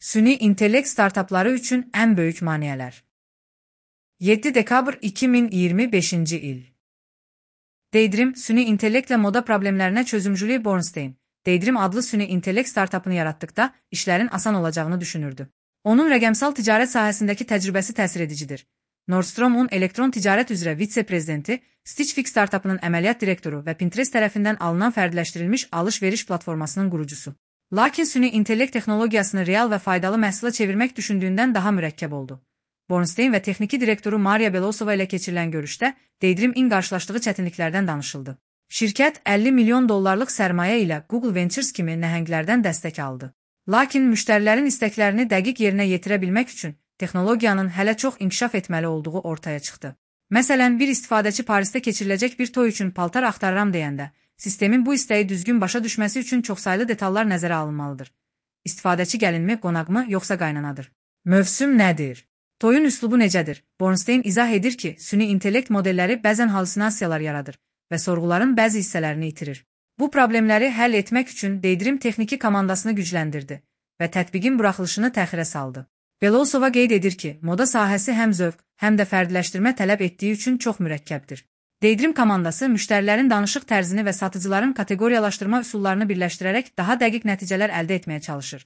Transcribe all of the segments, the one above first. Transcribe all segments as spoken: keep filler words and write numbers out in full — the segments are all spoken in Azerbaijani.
Süni intellekt startapları üçün ən böyük maneələr. yeddi dekabr iki min iyirmi beşinci il. Daydream, süni intellektlə moda problemlərinə çözümcülük Bornstein, Daydream adlı süni intellekt startapını yaratdıqda işlərin asan olacağını düşünürdü. Onun rəqəmsal ticarət sahəsindəki təcrübəsi təsir edicidir. Nordstrom'un elektron ticarət üzrə vitse-prezidenti, Stitch Fix startapının əməliyyat direktoru və Pinterest tərəfindən alınan fərdiləşdirilmiş alış-veriş platformasının qurucusu. Lakin süni intellekt texnologiyasını real və faydalı məhsula çevirmək düşündüyündən daha mürəkkəb oldu. Bornstein və texniki direktoru Maria Belosova ilə keçirilən görüşdə Daydream-in qarşılaşdığı çətinliklərdən danışıldı. Şirkət əlli milyon dollarlıq sərmayə ilə Google Ventures kimi nəhənglərdən dəstək aldı. Lakin müştərilərin istəklərini dəqiq yerinə yetirə bilmək üçün texnologiyanın hələ çox inkişaf etməli olduğu ortaya çıxdı. Məsələn, bir istifadəçi Parisdə keçiriləcək bir toy üçün paltar axtarıram deyəndə, sistemin bu istəyi düzgün başa düşməsi üçün çoxsaylı detallar nəzərə alınmalıdır. İstifadəçi gəlinmi, qonaqmı, yoxsa qaynanadır? Mövsüm nədir? Toyun üslubu necədir? Bornstein izah edir ki, süni intellekt modelləri bəzən halüsinasiyalar yaradır və sorğuların bəzi hissələrini itirir. Bu problemləri həll etmək üçün Daydream texniki komandasını gücləndirdi və tətbiqin buraxılışını təxirə saldı. Belosova qeyd edir ki, moda sahəsi həm zövq, həm də fərdiləşdirmə tələb etdiyi üçün çox mürəkkəbdir. Daydream komandası müştərilərin danışıq tərzini və satıcıların kateqoriyalaşdırma üsullarını birləşdirərək daha dəqiq nəticələr əldə etməyə çalışır.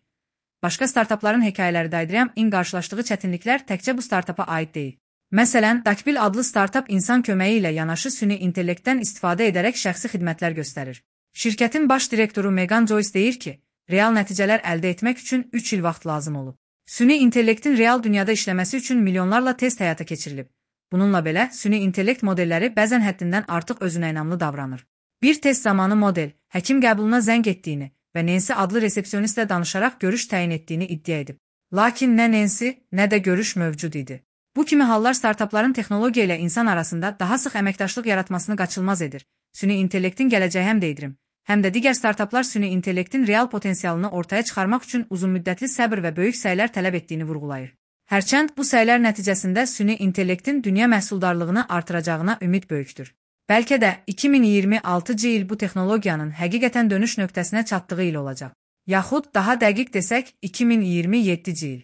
Başqa startapların hekayələri Daydream-in qarşılaşdığı çətinliklər təkcə bu startapa aid deyil. Məsələn, Dakbil adlı startap insan köməyi ilə yanaşı süni intellektdən istifadə edərək şəxsi xidmətlər göstərir. Şirkətin baş direktoru Megan Joyce deyir ki, real nəticələr əldə etmək üçün üç il vaxt lazım olub. Süni intellektin real dünyada işləməsi üçün milyonlarla test həyata keçirilib. Bununla belə, süni intellekt modelləri bəzən həddindən artıq özünə inamlı davranır. Bir test zamanı model, həkim qəbuluna zəng etdiyini və Nancy adlı resepsiyonistlə danışaraq görüş təyin etdiyini iddia edib. Lakin nə Nancy, nə də görüş mövcud idi. Bu kimi hallar startapların texnologiya ilə insan arasında daha sıx əməkdaşlıq yaratmasını qaçılmaz edir. Süni intellektin gələcəyi həm Daydream, həm də digər startaplar süni intellektin real potensialını ortaya çıxarmaq üçün uzunmüddətli səbr və böyük səylər tələb etdiyini vurğulayır. Hərçənd bu səylər nəticəsində süni intellektin dünya məhsuldarlığını artıracağına ümid böyükdür. Bəlkə də iki min iyirmi altıncı il bu texnologiyanın həqiqətən dönüş nöqtəsinə çatdığı il olacaq. Yaxud daha dəqiq desək iki min iyirmi yeddinci il.